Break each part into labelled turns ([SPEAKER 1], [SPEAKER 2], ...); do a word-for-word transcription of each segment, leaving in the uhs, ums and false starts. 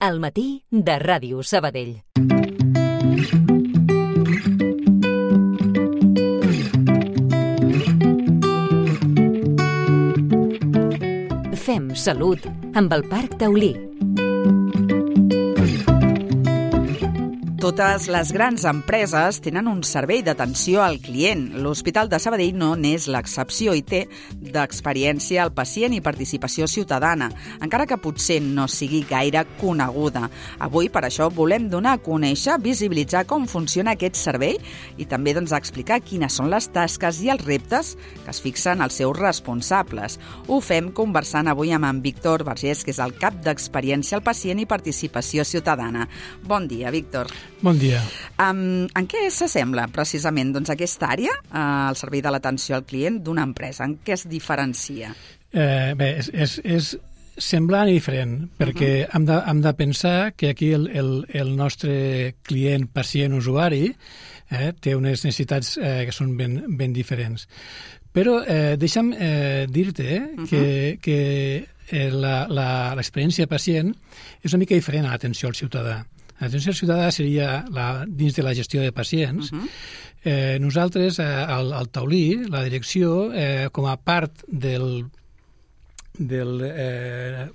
[SPEAKER 1] Al matí de Ràdio Sabadell. Fem salut amb el Parc Taulí.
[SPEAKER 2] Totes les grans empreses tenen un servei d'atenció al client. L'Hospital de Sabadell no n'és l'excepció i té d'experiència al pacient i participació ciutadana, encara que potser no sigui gaire coneguda. Avui, per això, volem donar a conèixer, visibilitzar com funciona aquest servei i també doncs, explicar quines són les tasques i els reptes que es fixen els seus responsables. Ho fem conversant avui amb en Víctor Vergés, que és el cap d'Experiència al Pacient i Participació Ciutadana. Bon dia, Víctor.
[SPEAKER 3] Bon dia.
[SPEAKER 2] Um, en què s'assembla precisament doncs, aquesta àrea, uh, el servei de l'atenció al client d'una empresa? En què es diferencia?
[SPEAKER 3] Eh, bé, és, és, és semblant i diferent, perquè uh -huh. hem, de, hem de pensar que aquí el, el, el nostre client, pacient, usuari, eh, té unes necessitats eh, que són ben, ben diferents. Però eh, deixa'm eh, dir-te eh, uh -huh. que, que eh, l'experiència pacient és una mica diferent a l'atenció al ciutadà. L'atenció al ciutadà seria la, dins de la gestió de pacients. Uh-huh. eh, nosaltres, eh, al, al Taulí, la direcció, eh, com a part del, del eh,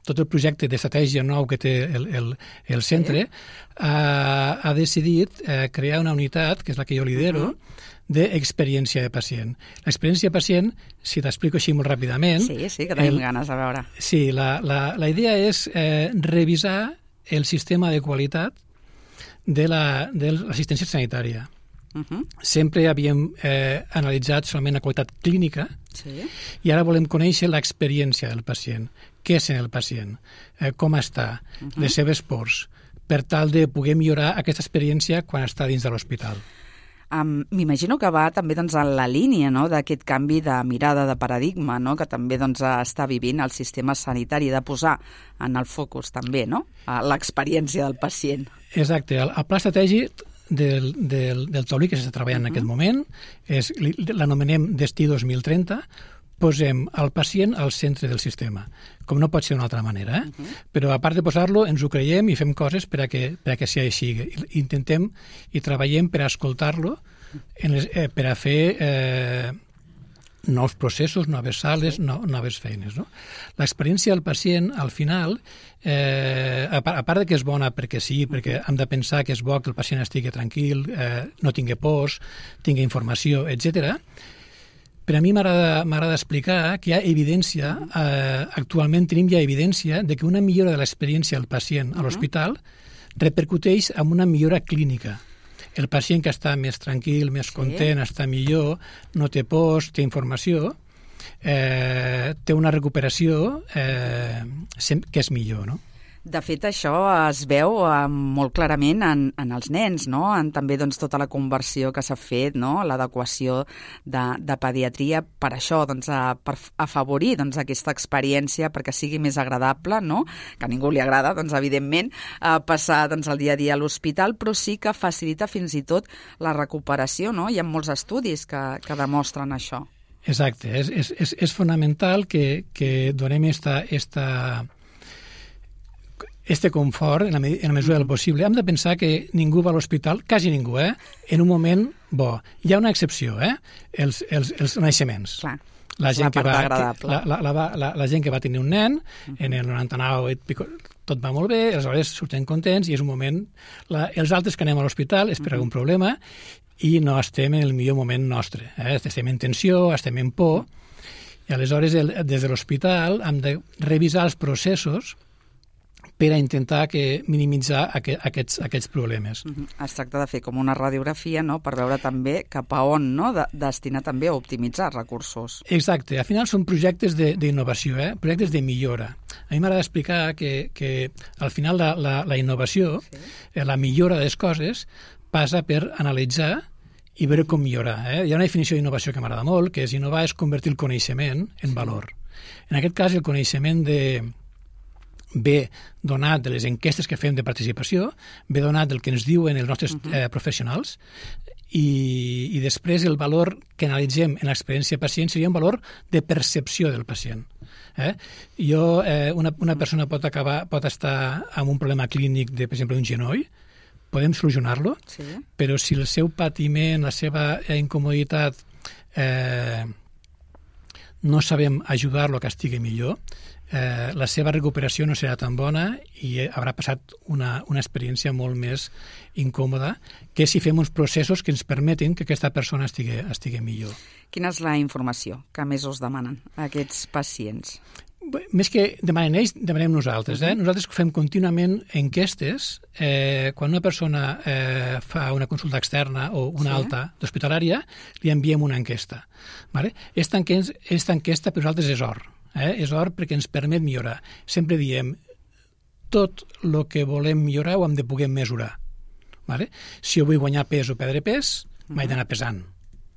[SPEAKER 3] tot el projecte d'estratègia nou que té el, el, el centre, sí. ha, ha decidit eh, crear una unitat, que és la que jo lidero, uh-huh. d'experiència de pacient. L'experiència de pacient, si t'explico així molt ràpidament...
[SPEAKER 2] Sí, sí, que tenim el, ganes de veure.
[SPEAKER 3] Sí, la, la, la idea és eh, revisar el sistema de qualitat de l'assistència sanitària. Uh-huh. Sempre havíem eh, analitzat solament la qualitat clínica, sí. I ara volem conèixer l'experiència del pacient. Què sent el pacient? Eh, com està? Uh-huh. Les seves pors? Per tal de poder millorar aquesta experiència quan està dins de l'hospital.
[SPEAKER 2] Um, M'imagino que va també doncs, en la línia no, d'aquest canvi de mirada, de paradigma, no, que també doncs, està vivint el sistema sanitari, de posar en el focus també no, l'experiència del pacient.
[SPEAKER 3] Exacte. El, el pla estratègic del, del, del Taulí que s'està treballant uh-huh. en aquest moment és, l'anomenem Destí dos mil trenta, posem el pacient al centre del sistema, com no pot ser d'una altra manera. Eh? Uh-huh. Però a part de posar-lo, ens ho creiem i fem coses per a que, per a que sigui així. Intentem i treballem per a escoltar-lo, en les, eh, per a fer eh, nous processos, noves sales, no, noves feines. No? L'experiència del pacient, al final, eh, a, part, a part de que és bona perquè sí, perquè hem de pensar que és bo que el pacient estigui tranquil, eh, no tingui pors, tingui informació, etcètera. Per a mi m'agrada explicar que hi ha evidència, eh, actualment tenim ja evidència de que una millora de l'experiència del pacient a l'hospital repercuteix en una millora clínica. El pacient que està més tranquil, més content, sí. està millor, no té pors, té informació, eh, té una recuperació eh, que és millor, no?
[SPEAKER 2] De fet, això es veu eh, molt clarament en, en els nens, no? En també doncs, tota la conversió que s'ha fet, no? L'adequació de, de pediatria per això, doncs, a, per afavorir doncs, aquesta experiència perquè sigui més agradable, no? Que a ningú li agrada, doncs, evidentment, eh, passar doncs, el dia a dia a l'hospital, però sí que facilita fins i tot la recuperació, no? Hi ha molts estudis que, que demostren això.
[SPEAKER 3] Exacte. És, és, és, és fonamental que, que donem esta... esta... este confort, en la, en la mesura del possible. Hem de pensar que ningú va a l'hospital, quasi ningú, eh? En un moment bo. Hi ha una excepció, eh? Els, els, els naixements.
[SPEAKER 2] Clar,
[SPEAKER 3] la gent
[SPEAKER 2] la
[SPEAKER 3] que
[SPEAKER 2] part
[SPEAKER 3] va,
[SPEAKER 2] agradable.
[SPEAKER 3] Que, la, la, la, la, la gent que va tenir un nen, uh-huh. en el noranta-nou tot va molt bé, aleshores surten contents i és un moment... La, els altres que anem a l'hospital és per uh-huh. algun problema i no estem en el millor moment nostre. Eh? Estem en tensió, estem en por, i aleshores el, des de l'hospital hem de revisar els processos per a intentar que minimitzar aquests, aquests problemes.
[SPEAKER 2] Uh-huh. Es tracta de fer com una radiografia, no?, per veure també cap a on, no?, de, destinar també a optimitzar recursos.
[SPEAKER 3] Exacte. Al final són projectes d'innovació, eh? projectes de millora. A mi m'agrada explicar que, que al final la, la, la innovació, sí. eh, la millora de les coses, passa per analitzar i veure com millorar. Eh? Hi ha una definició d'innovació que m'agrada molt, que és innovar és convertir el coneixement en valor. En aquest cas, el coneixement de ve donat de les enquestes que fem de participació, ve donat del que ens diuen els nostres uh-huh. eh, professionals, i, i després el valor que analitzem en l'experiència pacient seria un valor de percepció del pacient. Eh? Jo, eh, una, una persona pot acabar, pot estar amb un problema clínic de, per exemple, un genoll, podem solucionar-lo, sí. però si el seu patiment, la seva incomoditat, eh, no sabem ajudar-lo a que estigui millor, eh, la seva recuperació no serà tan bona i haurà passat una, una experiència molt més incòmoda que si fem uns processos que ens permetin que aquesta persona estigui, estigui millor.
[SPEAKER 2] Quina és la informació que més us demanen aquests pacients?
[SPEAKER 3] Més que demanen ells, demanem nosaltres. Eh? Nosaltres fem contínuament enquestes. Eh, quan una persona eh, fa una consulta externa o una sí. alta d'hospitalària, li enviem una enquesta. Vale? Esta enquesta, esta enquesta per nosaltres és or. Eh? És or perquè ens permet millorar. Sempre diem, tot el que volem millorar ho hem de poder mesurar. Vale? Si jo vull guanyar pes o perdre pes, uh-huh. m'he d'anar pesant.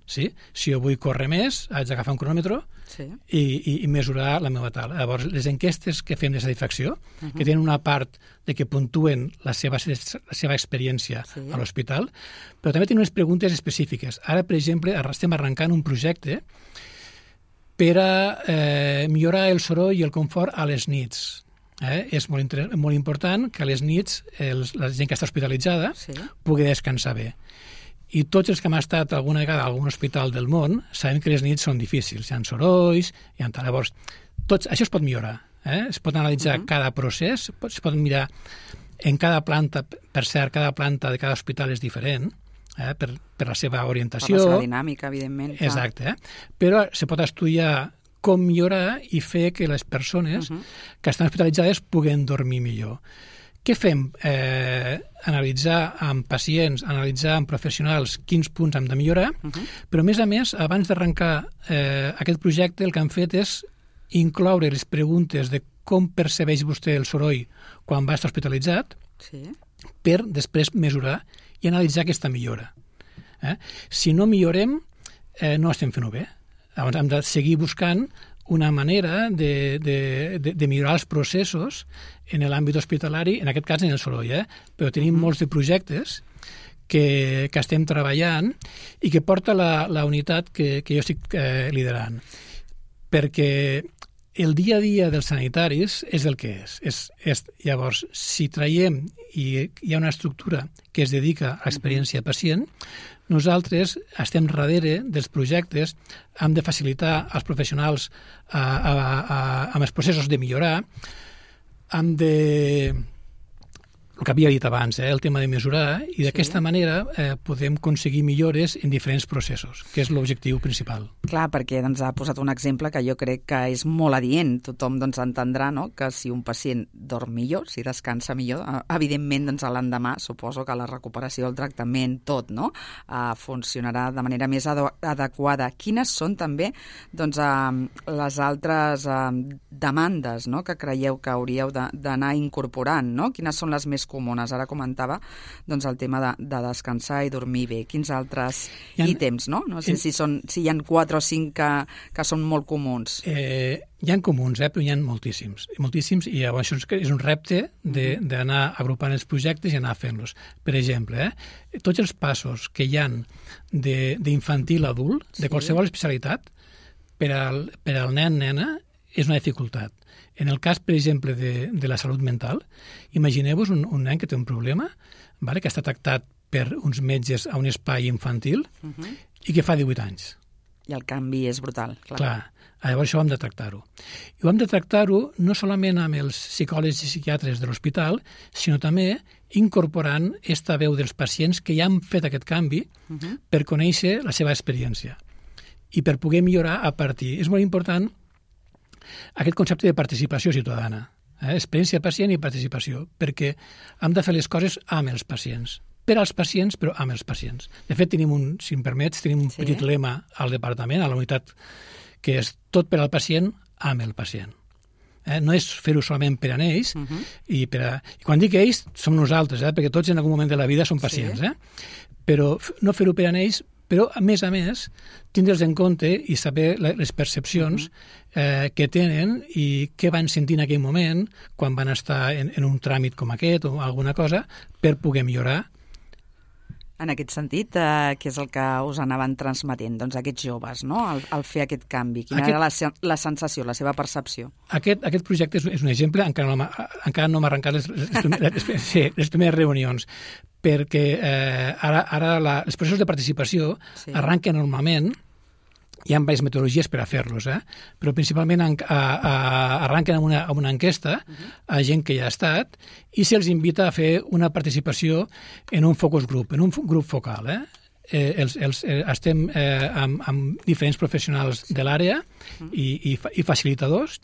[SPEAKER 3] Sí? Si jo vull córrer més, haig d'agafar un cronòmetre sí. i, i, i mesurar la meva tal. Llavors, les enquestes que fem de satisfacció, uh-huh. que tenen una part de que puntuen la seva, la seva experiència sí. a l'hospital, però també tenen unes preguntes específiques. Ara, per exemple, estem arrencant un projecte per a eh, millorar el soroll i el confort a les nits. Eh? És molt, inter... molt important que a les nits els, la gent que està hospitalitzada sí. pugui descansar bé. I tots els que hem estat alguna vegada a algun hospital del món sabem que les nits són difícils. Hi ha sorolls, hi ha... Llavors, tots, això es pot millorar. Eh? Es pot analitzar uh-huh. cada procés, es pot mirar en cada planta, per cert, cada planta de cada hospital és diferent, eh? per, per la seva orientació.
[SPEAKER 2] Per la seva dinàmica, evidentment. Clar.
[SPEAKER 3] Exacte. Eh? Però se pot estudiar com millorar i fer que les persones uh-huh. que estan hospitalitzades puguen dormir millor. Què fem? Eh, analitzar amb pacients, analitzar amb professionals quins punts hem de millorar, uh-huh. però a més a més, abans d'arrencar eh, aquest projecte, el que hem fet és incloure les preguntes de com percebeix vostè el soroll quan va estar hospitalitzat sí. per després mesurar i analitzar aquesta millora. Eh? Si no millorem, eh, no estem fent-ho bé. Llavors hem de seguir buscant una manera de, de, de, de millorar els processos en l'àmbit hospitalari, en aquest cas en el soroll, eh? però tenim mm. molts de projectes que, que estem treballant i que porta la, la unitat que, que jo estic eh, liderant. Perquè el dia a dia dels sanitaris és el que és. és, és llavors, si traiem i hi ha una estructura que es dedica a l'experiència pacient, nosaltres estem darrere dels projectes, hem de facilitar als professionals a, a, a, amb els processos de millorar, hem de... el que havia dit abans, eh, el tema de mesurar, i d'aquesta sí. manera eh, podem aconseguir millores en diferents processos, que és l'objectiu principal.
[SPEAKER 2] Clar, perquè doncs, ha posat un exemple que jo crec que és molt adient. Tothom doncs, entendrà no? que si un pacient dorm millor, si descansa millor, evidentment doncs, l'endemà suposo que la recuperació del tractament, tot, no? eh, funcionarà de manera més adequada. Quines són també doncs, eh, les altres eh, demandes no? que creieu que hauríeu d'anar incorporant? No? Quines són les més comunes? Ara comentava doncs, el tema de, de descansar i dormir bé. Quins altres ha, ítems, no? No sé en, si, són, si hi ha quatre o cinc que, que són molt comuns.
[SPEAKER 3] Eh, hi ha comuns, eh, però hi ha moltíssims. Moltíssims, i llavors això és un repte d'anar agrupant els projectes i anar fent-los. Per exemple, eh, tots els passos que hi ha d'infantil a adult, de qualsevol sí. especialitat, per al, per al nen-nena, és una dificultat. En el cas, per exemple, de, de la salut mental, imagineu-vos un, un nen que té un problema, vale, que està tractat per uns metges a un espai infantil uh-huh. i que fa divuit anys.
[SPEAKER 2] I el canvi és brutal. Clar,
[SPEAKER 3] clar llavors això ho hem de tractar-ho. I ho hem de tractar-ho no solament amb els psicòlegs i psiquiatres de l'hospital, sinó també incorporant esta veu dels pacients que ja han fet aquest canvi uh-huh. per conèixer la seva experiència i per poder millorar a partir. És molt important aquest concepte de participació ciutadana, eh? experiència pacient i participació, perquè hem de fer les coses amb els pacients, per als pacients, però amb els pacients. De fet, tenim un, si em permets, tenim un sí. petit lema al departament, a la unitat, que és tot per al pacient, amb el pacient. Eh? No és fer-ho solament per a ells, uh-huh. i, per a... i quan dic ells, som nosaltres, eh? perquè tots en algun moment de la vida som pacients, sí. eh? però no fer-ho per a ells, però, a més a més, tindre'ls en compte i saber les percepcions eh, que tenen i què van sentir en aquell moment quan van estar en, en un tràmit com aquest o alguna cosa per poder millorar.
[SPEAKER 2] En aquest sentit, eh, què és el que us anaven transmetent, doncs, aquests joves, no?, al, al fer aquest canvi? Quina aquest, era la, la sensació, la seva percepció? Aquest, aquest projecte és, és un exemple, encara no, encara no m'ha arrencat les, les, les, sí, les primeres reunions, perquè eh, ara, ara la, els processos de participació sí. arranquen normalment. Hi ha diverses metodologies per a fer-los, eh? Però principalment a, a, a, arranquen amb una, amb una enquesta uh-huh. a gent que ja ha estat i se'ls invita a fer una participació en un focus group, en un grup focal. Eh? Eh, els, els, eh, estem eh, amb, amb diferents professionals de l'àrea uh-huh. i, i, i facilitadors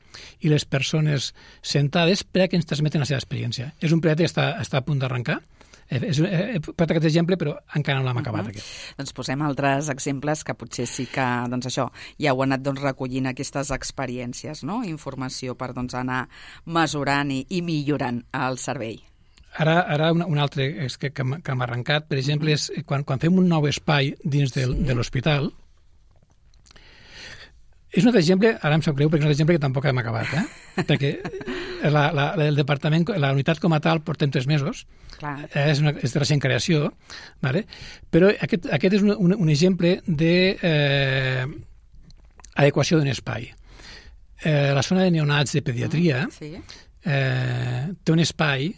[SPEAKER 2] i les persones sentades per a que ens transmeten la seva experiència. És un projecte que està, està a punt d'arrencar. És, he posat aquest exemple, però encara no l'hem acabat. Uh-huh. Aquest. Doncs posem altres exemples que potser sí que, doncs això, ja heu anat doncs, recollint aquestes experiències, no? Informació per doncs, anar mesurant i, i millorant el servei.
[SPEAKER 3] Ara, ara un, un altre que, que, que m'ha arrencat, per exemple, uh-huh. és quan, quan fem un nou espai dins del, sí. de l'hospital. És un altre exemple, ara em sap greu, perquè és un altre exemple que tampoc hem acabat, eh? Perquè la, la, el departament, la unitat com a tal, portem tres mesos, Clar. és, una, és de recent creació, vale? Però aquest, aquest és un, un, un exemple d'adequació de, eh, d'un espai. Eh, la zona de neonats de pediatria mm, sí. eh, té un espai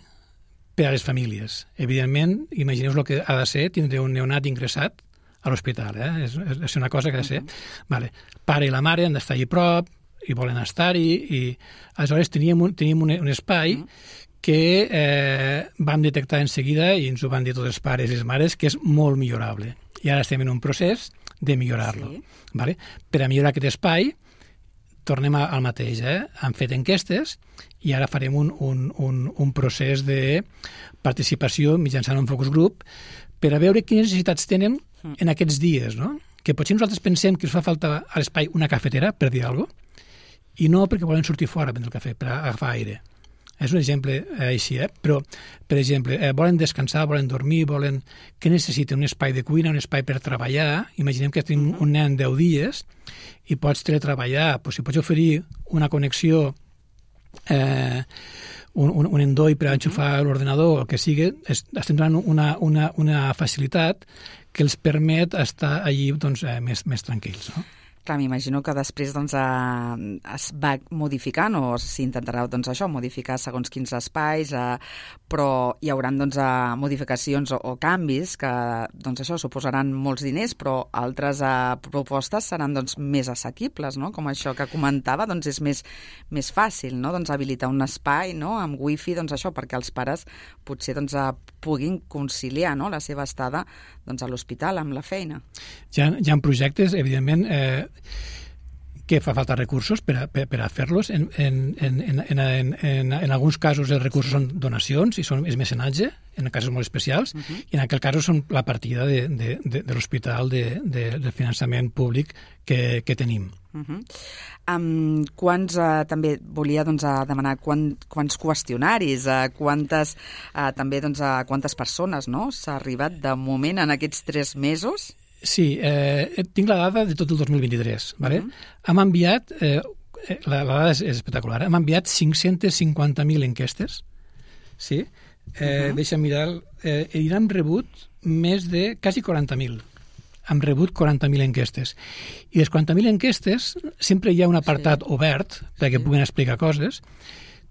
[SPEAKER 3] per a les famílies. Evidentment, imagineu el que ha de ser tindre un neonat ingressat a l'hospital, eh? és, és una cosa que ha de ser. Uh-huh. Vale. Pare i la mare han d'estar allà a prop i volen estar-hi, i aleshores teníem un, teníem un, un espai uh-huh. que eh, vam detectar en seguida, i ens ho van dir tots els pares i les mares, que és molt millorable. I ara estem en un procés de millorar-lo. Sí. Vale? Per a millorar aquest espai, tornem al mateix. Eh? Han fet enquestes i ara farem un, un, un, un procés de participació mitjançant un focus group per a veure quines necessitats tenen en aquests dies, no? Que potser nosaltres pensem que ens fa falta a l'espai una cafetera, per dir alguna cosa, i no perquè volen sortir fora a prendre el cafè, per agafar aire. És un exemple eh, així, eh? Però, per exemple, eh, volen descansar, volen dormir, volen... Què necessiten? Un espai de cuina, un espai per treballar. Imaginem que tenim un nen deu dies i pots teletreballar, doncs si pots oferir una connexió eh, un, un, un endoll per enxufar uh-huh. l'ordenador, el que sigui, es, estem donant una, una, una facilitat que els permet estar allí doncs, eh, més, més tranquils. No?
[SPEAKER 2] Clar, m'imagino que després doncs, eh, es va modificant o s'intentarà doncs, això, modificar segons quins espais, eh, però hi haurà doncs, eh, modificacions o, o canvis que doncs, això suposaran molts diners, però altres eh, propostes seran doncs, més assequibles, no? Com això que comentava, doncs, és més, més fàcil, no? Doncs, habilitar un espai, no? Amb wifi, doncs, això, perquè els pares potser doncs, eh, puguin conciliar, no? La seva estada doncs, a l'hospital amb la feina.
[SPEAKER 3] Hi ha, hi ha projectes, evidentment, eh, que fa falta recursos per a, per, per a fer-los. En, en, en, en, en, en, en alguns casos els recursos són donacions i són, és mecenatge, en casos molt especials, uh-huh. i en aquest cas són la partida de, de, de, de l'hospital de, de, de finançament públic que, que tenim.
[SPEAKER 2] Uh-huh. Um, quants, uh, també volia doncs, uh, demanar quant, quants qüestionaris, uh, quantes, uh, també doncs, uh, quantes persones no? S'ha arribat de moment en aquests tres mesos?
[SPEAKER 3] Sí, eh, tinc la dada de tot el dos mil vint-i-tres. Vale? Uh-huh. Hem enviat, eh, la, la dada és, és espectacular, hem enviat cinc-cents cinquanta mil enquestes, sí? Eh, uh-huh. Deixa mirar, eh, i hem rebut més de quasi quaranta mil. Hem rebut quaranta mil enquestes. I les quaranta mil enquestes, sempre hi ha un apartat sí. obert perquè sí. puguin explicar coses.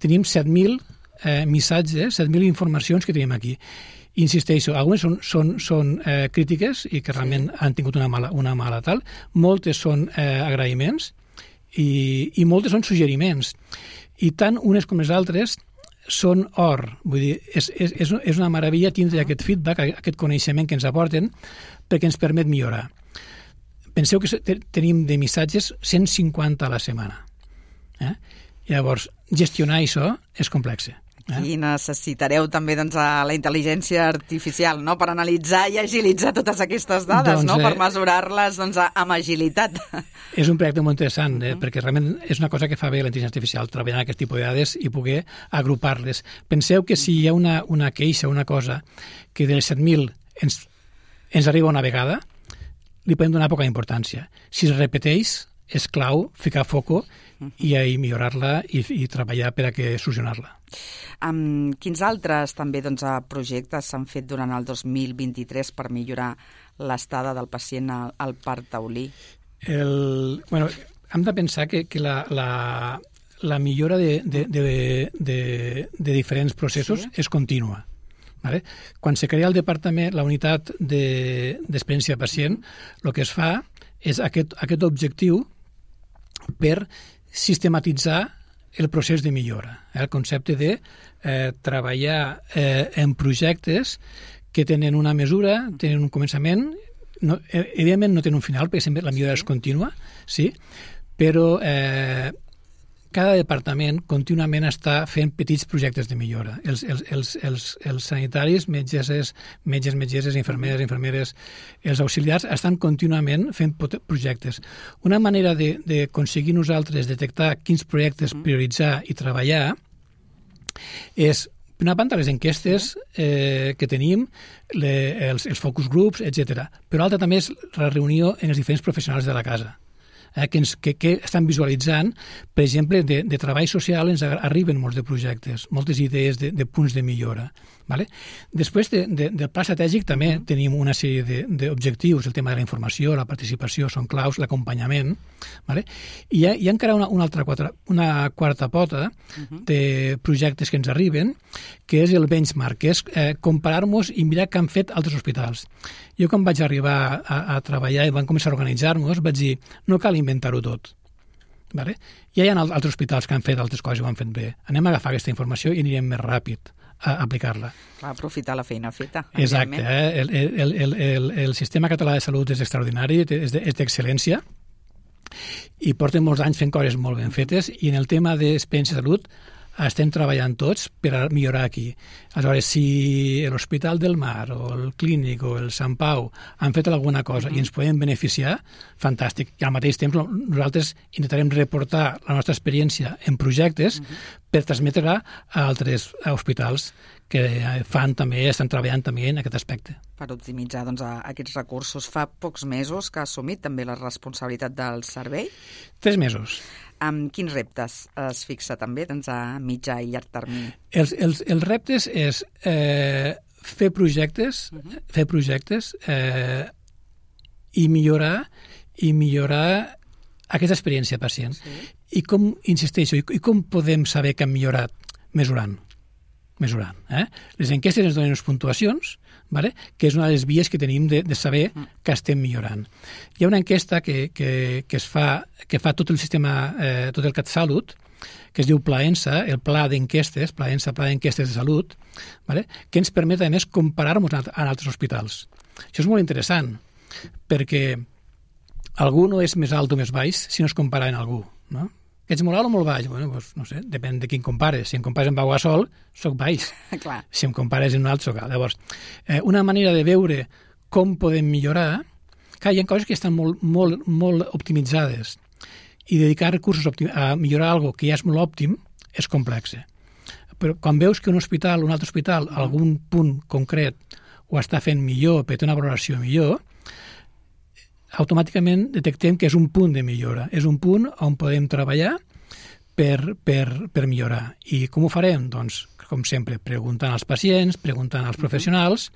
[SPEAKER 3] Tenim set mil eh, missatges, set mil informacions que tenim aquí. Insisteixo, algunes són, són, són eh, crítiques i que realment sí. han tingut una mala, una mala tal, moltes són eh, agraïments i, i moltes són suggeriments. I tant unes com les altres són or. Vull dir, és, és, és una meravella tindre uh-huh. aquest feedback, aquest coneixement que ens aporten perquè ens permet millorar. Penseu que tenim de missatges cent cinquanta a la setmana. Eh? Llavors, gestionar això és complex.
[SPEAKER 2] I necessitareu també doncs, la intel·ligència artificial no? Per analitzar i agilitzar totes aquestes dades, doncs, no? Per mesurar-les doncs, amb agilitat.
[SPEAKER 3] És un projecte molt interessant, eh? uh-huh. perquè realment és una cosa que fa bé la intel·ligència artificial, treballar aquest tipus de dades i poder agrupar-les. Penseu que si hi ha una, una queixa, una cosa, que de les set mil ens, ens arriba una vegada, li podem donar poca importància. Si es repeteix, és clau ficar foco i, i millorar-la i, i treballar per a que solucionar-la.
[SPEAKER 2] Um, quins altres també doncs, projectes s'han fet durant el dos mil vint-i-tres per millorar l'estada del pacient al, al Parc Taulí?
[SPEAKER 3] El, bueno, hem de pensar que, que la, la, la millora de, de, de, de, de diferents processos sí. és contínua. Vale? Quan se crea el departament, la unitat d'experiència de, pacient, el que es fa és aquest, aquest objectiu per sistematitzar el procés de millora. El concepte de eh, treballar eh, en projectes que tenen una mesura, tenen un començament, no, evidentment no tenen un final, perquè sempre la millora és contínua, sí, però eh, cada departament contínuament està fent petits projectes de millora. Els, els, els, els, els sanitaris, metgesses, metges, metgesses, infermeres, infermeres, els auxiliars estan contínuament fent projectes. Una manera d'aconseguir nosaltres detectar quins projectes prioritzar i treballar és, per una banda, les enquestes eh, que tenim, le, els, els focus groups, etcètera. Però l'altra també és la reunió en els diferents professionals de la casa. Eh, que, ens, que, que estan visualitzant, per exemple, de, de treball social ens arriben molts de projectes, moltes idees de, de punts de millora. Vale? Després de, de, del pla estratègic també uh -huh. tenim una sèrie d'objectius, el tema de la informació, la participació són claus, l'acompanyament, vale? I hi ha, hi ha encara una, una, altra quatre, una quarta pota uh -huh. de projectes que ens arriben, que és el benchmark, que és eh, comparar-nos i mirar què han fet altres hospitals. Jo quan vaig arribar a, a treballar i vam començar a organitzar-nos, vaig dir, no cal inventar-ho tot. Vale? Ja hi ha altres hospitals que han fet altres coses i ho han fet bé. Anem a agafar aquesta informació i anirem més ràpid a aplicar-la.
[SPEAKER 2] A aprofitar la feina feta.
[SPEAKER 3] Exacte. Eh? El, el, el, el, el sistema català de salut és extraordinari, és d'excel·lència i porten molts anys fent coses molt ben fetes i en el tema d'experiència de salut estem treballant tots per a millorar aquí. Aleshores, si l'Hospital del Mar o el Clínic o el Sant Pau han fet alguna cosa uh-huh. i ens podem beneficiar, fantàstic. I al mateix temps nosaltres intentarem reportar la nostra experiència en projectes uh-huh. per transmetre-la a altres hospitals que fan també, estan treballant també en aquest aspecte.
[SPEAKER 2] Per optimitzar doncs, aquests recursos. Fa pocs mesos que ha assumit també la responsabilitat del servei?
[SPEAKER 3] Tres mesos.
[SPEAKER 2] Amb quins reptes es fixa també doncs, a mitjà i llarg termini?
[SPEAKER 3] Els, els, els reptes és eh, fer projectes, uh-huh. fer projectes eh, i millorar i millorar aquesta experiència pacient. Sí. I com, insisteixo, i, i com podem saber que hem millorat? Mesurant. mesurant. Eh? Les enquestes ens donen unes puntuacions, vale? Que és una de les vies que tenim de, de saber que estem millorant. Hi ha una enquesta que, que, que es fa, que fa tot el sistema, eh, tot el CatSalut, que es diu Plaensa, el pla d'enquestes, Plaensa, pla d'enquestes de salut, vale? Que ens permet, a més, comparar-nos amb altres hospitals. Això és molt interessant, perquè algú no és més alt o més baix si no es compara amb algú, no? Ets molt alt o molt baix? Bueno, doncs, no sé, depèn de quin compares. Si em compares amb Pau Gasol, soc baix.
[SPEAKER 2] Clar.
[SPEAKER 3] Si em compares amb un alt, soc alt. Llavors, eh, una manera de veure com podem millorar, clar, hi ha coses que estan molt, molt, molt optimitzades i dedicar recursos a millorar alguna que ja és molt òptim és complex. Però quan veus que un hospital, un altre hospital, algun punt concret ho està fent millor, per té una valoració millor, automàticament detectem que és un punt de millora. És un punt on podem treballar per, per, per millorar. I com ho farem? Doncs, com sempre, preguntant als pacients, preguntant als professionals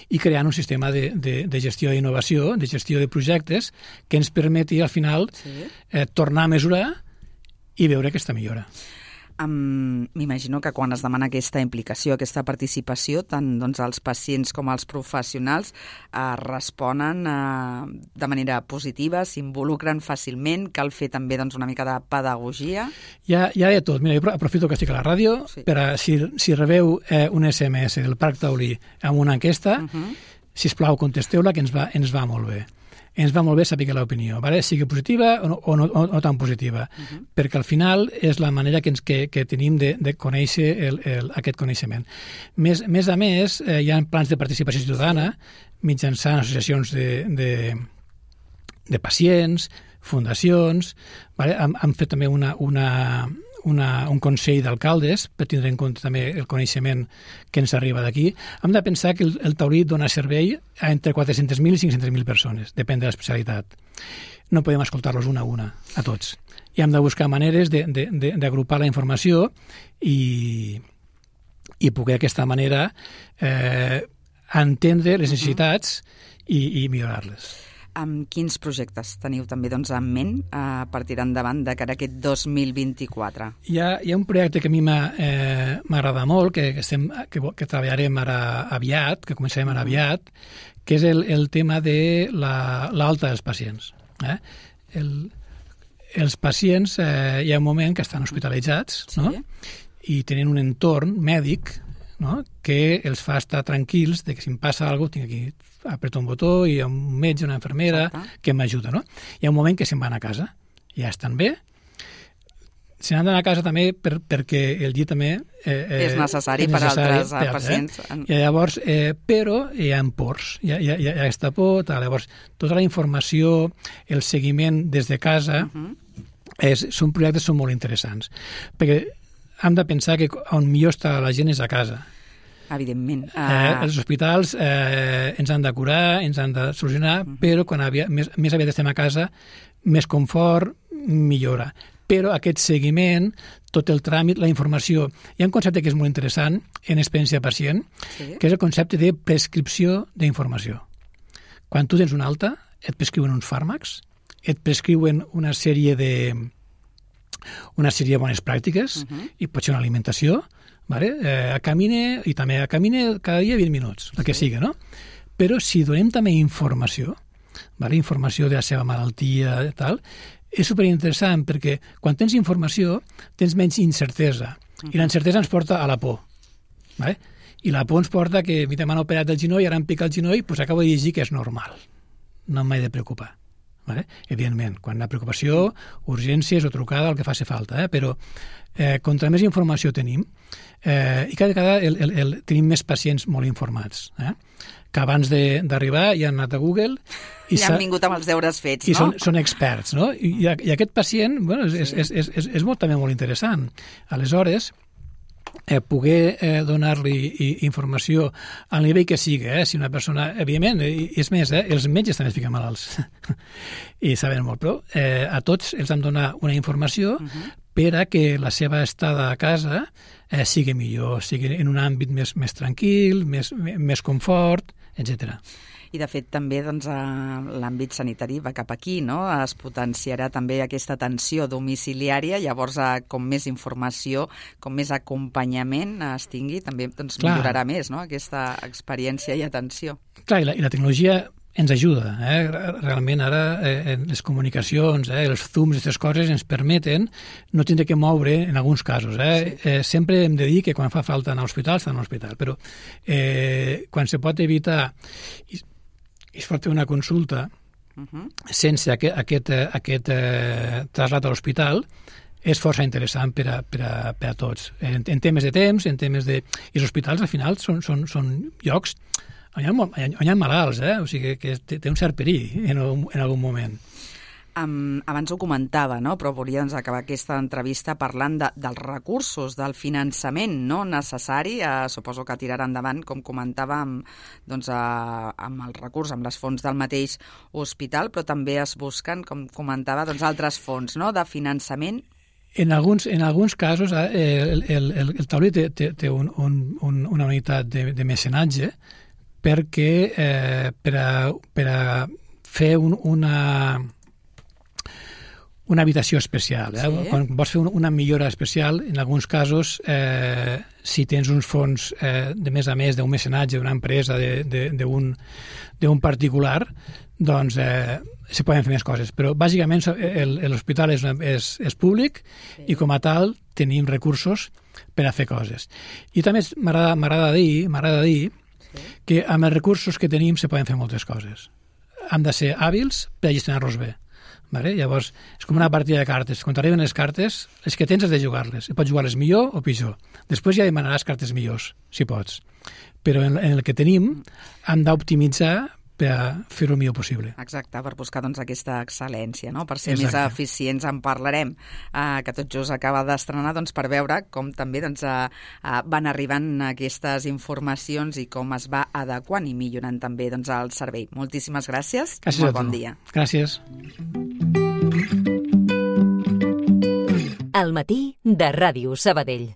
[SPEAKER 3] i creant un sistema de, de, de gestió d'innovació, de gestió de projectes, que ens permeti, al final, sí. eh, tornar a mesurar i veure aquesta millora.
[SPEAKER 2] Um, M'imagino que quan es demana aquesta implicació, aquesta participació, tant doncs, els pacients com els professionals eh, responen eh, de manera positiva, s'involucren fàcilment, cal fer també doncs, una mica de pedagogia.
[SPEAKER 3] Hi ha, hi ha de tot. Mira, jo aprofito que estic a la ràdio sí. per a, si, si rebeu eh, un S M S del Parc Taulí amb una enquesta, uh-huh. sisplau, contesteu-la, que ens va, ens va molt bé. Ens va molt bé saber l'opinió, ¿vale? Sigui positiva o no, o no, o no tan positiva, uh-huh. perquè al final és la manera que, ens, que, que tenim de, de conèixer el, el, aquest coneixement. Més, més a més, eh, hi ha plans de participació ciutadana mitjançant associacions de, de, de pacients, fundacions, ¿vale? han, han fet també una, una, una, un consell d'alcaldes, per tindre en compte també el coneixement que ens arriba d'aquí. Hem de pensar que el, el taurí dona servei a entre quatre-centes mil i cinc-centes mil persones, depèn de l'especialitat. No podem escoltar-los una a una, a tots. I hem de buscar maneres d'agrupar la informació i, i poder d'aquesta manera eh, entendre les necessitats i, i millorar-les.
[SPEAKER 2] Amb quins projectes teniu també doncs, en ment eh, per tirar endavant de cara a aquest dos mil vint-i-quatre?
[SPEAKER 3] Hi ha, hi ha un projecte que a mi m'agrada eh, molt, que, que, estem, que, que treballarem ara aviat, que començarem ara aviat, que és el, el tema de l'alta la, dels pacients. Eh? El, els pacients, eh, hi ha un moment que estan hospitalitzats, sí. no? I tenen un entorn mèdic, no? Que els fa estar tranquils de que si em passa alguna cosa tinc aquí, apreto un botó i hi ha un metge, una infermera Exacte. Que m'ajuda. No? Hi ha un moment que se'n van a casa, ja estan bé, se n'han d'anar a casa també per, perquè el llit també eh, eh,
[SPEAKER 2] és necessari,
[SPEAKER 3] és
[SPEAKER 2] necessari per altres
[SPEAKER 3] per,
[SPEAKER 2] pacients.
[SPEAKER 3] Eh? I llavors, eh, però hi ha pors, hi ha, hi ha, hi ha aquesta por, tal. Llavors tota la informació, el seguiment des de casa, uh -huh. és, són projectes són molt interessants, perquè hem de pensar que on millor està la gent és a casa.
[SPEAKER 2] Evidentment. Uh...
[SPEAKER 3] Eh, els hospitals eh, ens han de curar, ens han de solucionar, uh -huh. però quan aviat, més, més aviat estem a casa, més confort, millora. Però aquest seguiment, tot el tràmit, la informació... Hi ha un concepte que és molt interessant en experiència pacient, sí. que és el concepte de prescripció d'informació. Quan tu tens una alta, et prescriuen uns fàrmacs, et prescriuen una sèrie de una sèrie de bones pràctiques, uh-huh. i pot ser una alimentació, vale? eh, camine, i també camine cada dia vint minuts, el que sí. sigui, no? Però si donem també informació, vale? Informació de la seva malaltia i tal, és superinteressant perquè quan tens informació tens menys incertesa, uh-huh. i la incertesa ens porta a la por, vale? I la por ens porta que m'han operat el genoll, ara em pica el genoll, doncs acabo de llegir que és normal, no m'he de preocupar. Vale? Evidentment, quan la preocupació, urgències o trucada, el que faci falta, eh? Però eh, contra més informació tenim, eh, i cada vegada el, el, el, tenim més pacients molt informats, eh? Que abans d'arribar ja han anat a Google i
[SPEAKER 2] ja han vingut amb els deures fets,
[SPEAKER 3] i
[SPEAKER 2] no?
[SPEAKER 3] són, són experts, no? I, i aquest pacient, bueno, és, sí. és, és, és, és molt, també molt interessant. Aleshores, Eh, poder eh, donar-li informació al nivell que sigui, eh? Si una persona, evidentment, eh, és més, eh, els metges també es fiquen malalts i saben molt, però eh, a tots els hem de donar una informació uh-huh. per a que la seva estada a casa eh, sigui millor, sigui en un àmbit més, més tranquil, més, més confort, etcètera.
[SPEAKER 2] I, de fet, també doncs, l'àmbit sanitari va cap aquí, no? Es potenciarà també aquesta atenció domiciliària, llavors, com més informació, com més acompanyament es tingui, també doncs, millorarà més, no? Aquesta experiència i atenció.
[SPEAKER 3] Clar, i la, i la tecnologia ens ajuda, eh? Realment ara eh, les comunicacions, eh, els zooms, aquestes coses ens permeten no tindre que moure en alguns casos. Eh? Sí. Eh, sempre hem de dir que quan fa falta anar a l'hospital, està a l'hospital, però eh, quan se pot evitar i, i es pot fer una consulta uh-huh. sense aquest, aquest, aquest eh, trasllat a l'hospital, és força interessant per a, per a, per a tots. En, en temes de temps, en temes de... I els hospitals, al final, són, són, són llocs on hi ha, on hi ha malalts, eh? O sigui que té, té un cert perill en, en algun moment.
[SPEAKER 2] Um, abans ho comentava, no? Però volia doncs, acabar aquesta entrevista parlant de, dels recursos, del finançament no necessari. Uh, suposo que tirarà endavant, com comentava, amb, doncs, uh, amb el recurs, amb les fonts del mateix hospital, però també es busquen, com comentava, doncs, altres fons no? De finançament.
[SPEAKER 3] En alguns, en alguns casos eh, el, el, el, el taulí té, té, té un, un, un, una unitat de, de mecenatge perquè eh, per, a, per a fer un, una... una habitació especial. Eh? Sí. Quan vols fer una millora especial, en alguns casos, eh, si tens uns fons eh, de més a més d'un mecenatge, d'una empresa, d'un particular, doncs eh, se poden fer més coses. Però bàsicament l'hospital és, és, és públic sí. I com a tal tenim recursos per a fer coses. I també m'agrada dir, m'agrada dir sí. Que amb els recursos que tenim se poden fer moltes coses. Hem de ser hàbils per a gestionar-los bé. Vale? Llavors, és com una partida de cartes. Quan t'arriben les cartes, les que tens has de jugar-les. I pots jugar-les millor o pitjor. Després ja demanaràs cartes millors, si pots. Però en, en el que tenim hem d'optimitzar per a fer-ho millor possible.
[SPEAKER 2] Exacte, per buscar doncs, aquesta excel·lència, no? Per ser
[SPEAKER 3] Exacte.
[SPEAKER 2] més eficients. En parlarem, eh, que tot just acaba d'estrenar, doncs, per veure com també doncs, eh, eh, van arribant aquestes informacions i com es va adequant i millorant també doncs, el servei. Moltíssimes gràcies.
[SPEAKER 3] Gràcies
[SPEAKER 2] Molt
[SPEAKER 3] a tu.
[SPEAKER 2] bon dia.
[SPEAKER 3] Gràcies.
[SPEAKER 1] Al matí de Ràdio Sabadell.